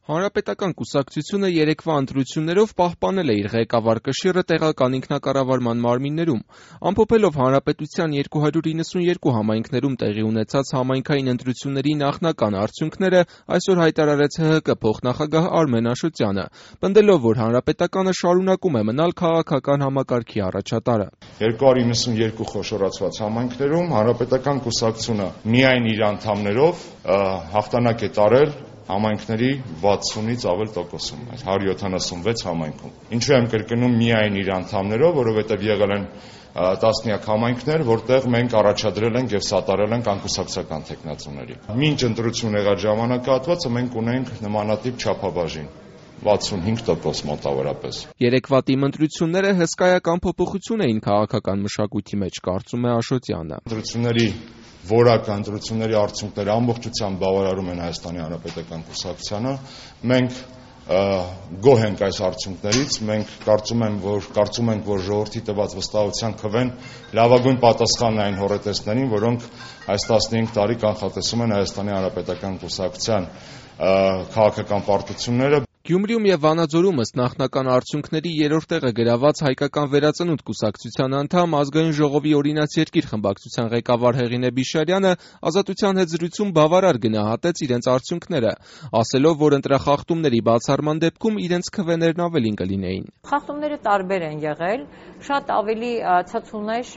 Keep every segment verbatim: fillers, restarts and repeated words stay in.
Հանրապետական կուսակցությունը երեկվա ընտրություններով պահպանել է իր ղեկավար կշիռը տեղական ինքնակառավարման մարմիններում։ Ամփոփելով հանրապետության երկու հարյուր իննսունյերկու համայնքներում տեղի ունեցած համայնքային ընտրությունների նախնական արդյունքները այսօր հայտարարեց ՀՀԿ փոխնախագահ Արմեն Աշոտյանը, պնդելով, որ հանրապետականը շարունակում է մնալ քաղաքական համակարգի առաջատարը։ երկու հարյուր իննսունյերկու խոշորացված համայնքներում հանրապետական կուսակցությունը միայն իր անդամներով հաղթանակ է տարել համայնքների վաթսունից ավել տոկոսում, հարյուր յոթանասունվեց համայնքում։ Ինչու եմ կրկնում միայն իր անդամներով, որովհետև եղել են տասնյակ համայնքներ, որտեղ մենք առաջադրել ենք եւ սատարել ենք անկուսակցական թեկնածուների։ Մինչ ընտրություն եղած ժամանակահատվածը մենք ունենք նմանատիպ չափաբաժին։ վաթսունհինգ տոկոս մոտավորապես։ Երեկվա տիմընտրությունները հսկայական փոփոխություն էին քաղաքական մշակույթի մեջ, կարծում է Աշոտյանը։ Ընտրությունների որակը, ընտրությունների արդյունքները ամբողջությամբ բավարարում են Հայաստանի Հանրապետական կուսակցությանը։ Մենք գոհ ենք այս արդյունքներից, մենք կարծում ենք, որ կարծում ենք, որ ժողովրդի տված վստահության քվեն լավագույն պատասխանն այն հոռետեսներին, որոնք այս տասնհինգ տարի կանխատեսում են Հայաստանի Հանրապետական կուսակցության քաղաքական պարտությունները։ Գյումրիում եւ Վանաձորում ըստ նախնական արդյունքների երրորդ տեղը գրաված Հայկական վերածնունդ կուսակցության անդամ Ազգային ժողովի օրինաց երկիր խմբակցության ղեկավար Հեղինե Բիշարյանը Ազատության հետ զրույցում բավարար գնահատեց իրենց արդյունքները, ասելով, որ ընտրախախտումների բացառման դեպքում իրենց քվեներն ավելին կլինեին։ Խախտումները տարբեր են եղել, շատ ավելի ցածուն էր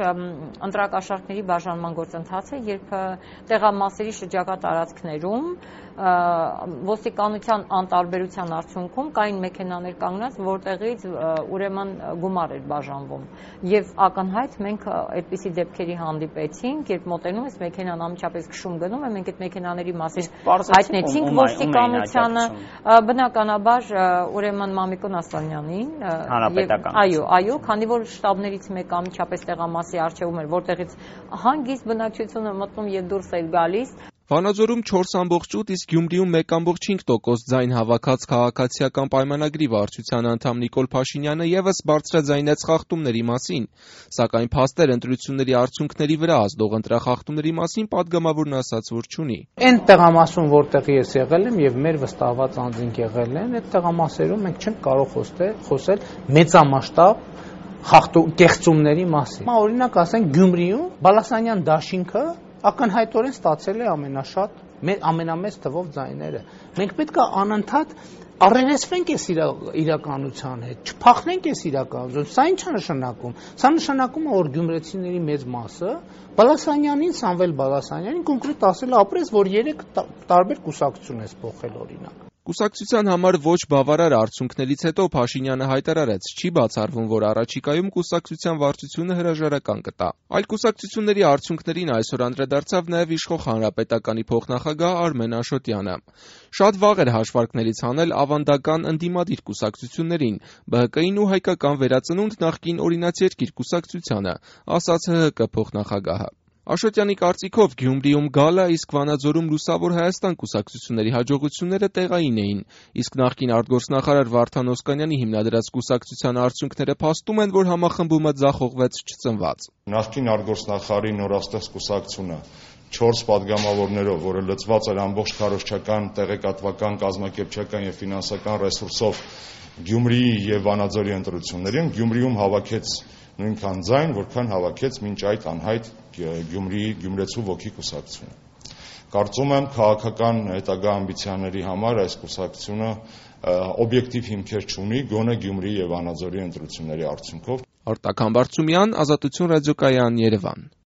ընտրակաշառքների բաժանման գործընթացը, երբ տեղամասերի շրջակա տարածքներում ոստիկանության անտարբերության արդյունքում կային մեքենաներ կանգնած, որտեղից ուրեմն գումար էր բաժանվում։ Եվ ակնհայտ մենք այդպիսի դեպքերի հանդիպեցինք, երբ մոտենում ես մեքենան անմիջապես քշում գնում է, մենք այդ մեքենաների մասին հայտնեցինք ոստիկանությանը, բնականաբար ուրեմն Մամիկոն Ասլանյանին, այո, այո, քանի որ շտաբներից մեկը անմիջապես տեղամասի առջևում էր, որտեղից հանգիստ բնակչությունը մտնում եւ դուրս էր գալիս։ Վանաձորում չորս ամբողջ ութ, իսկ Գյումրիում մեկ ամբողջ հինգ տոկոս ձայն հավաքած քաղաքացիական պայմանագրի վարչության անդամ Նիկոլ Փաշինյանը եւս բարձրաձայնեց խախտումների մասին, սակայն փաստեր ընտրությունների արդյունքների վրա ազդող ընտրախախտումների մասին պատգամավորն ասաց, որ չունի։ Այն տեղամասում, որտեղ ես եղել եմ եւ մեր վստահված անձինք եղել են, այդ տեղամասերում մենք չենք կարող խոսել մեծամասշտաբ խախտում կեղծումների մասին։ Օրինակ ասենք Գյումրիում Բալասանյան դաշինքը ակնհայտորեն ստացել է ամենաշատ, ամենամեծ թվով ձայները։ Մենք պետք է անընդհատ առերեսվենք այս իրականության հետ, չփախնենք այս իրականությունից։ Սա ինչ է նշանակում։ Սա նշանակում է, որ գյումրեցիների մեծ մասը Բալասանյանին, Սամվել Բալասանյանին կոնկրետ ասել է ապրես, որ երեք տարբեր կուսակցություն ես փոխել օրինակ։ Կուսակցության համար ոչ բավարար արդյունքներից հետո Փաշինյանը հայտարարեց, չի բացառվում, որ առաջիկայում կուսակցության վարչությունը հրաժարական կտա։ Այլ կուսակցությունների արդյունքներին այսօր անդրադարձավ նաև իշխող Հանրապետականի փոխնախագահ Արմեն Աշոտյանը։ Շատ վաղ էր հաշվարկներից հանել ավանդական ընդդիմադիր կուսակցություններին, ԲՀԿ-ին ու Հայկական վերածնունդ նախկին օրինաց երկիր կուսակցությանը, ասաց ՀՀԿ փոխնախագահը։ Աշոտյանի կարծիքով Գյումրիում գալը, իսկ Վանաձորում Լուսավոր Հայաստան կուսակցությունների հաջողությունները տեղային էին, իսկ նախկին արտգործնախարար Վարդան Օսկանյանի հիմնադրած կուսակցության արդյունքները փաստում են, որ համախմբումը ձախողվեց չծնված։ Նախկին արտգործնախարարի նորաստեղծ կուսակցությունը չորս պատգամավորներով, որը լծված էր ամբողջ քարոզչական, տեղեկատվական, կազմակերպչական եւ ֆինանսական ռեսուրսով Գյումրիի եւ Վանաձորի ընտրություններին, Գյումրիում հավաքեց նույնքան ձայն, որքան հավաքեց մինչ այդ անհայտ Գյումրիի Գյումրեցու ոգի կուսակցությունը։ Կարծում եմ քաղաքական հետագա ամբիցիաների համար այս կուսակցությունը օբյեկտիվ հիմքեր չունի, գոնե Գյումրիի եւ Վանաձորի ընտրությունների արդյունքով։ Արտակ Համբարձումյան, Ազատություն ռադիոկայան, Երևան։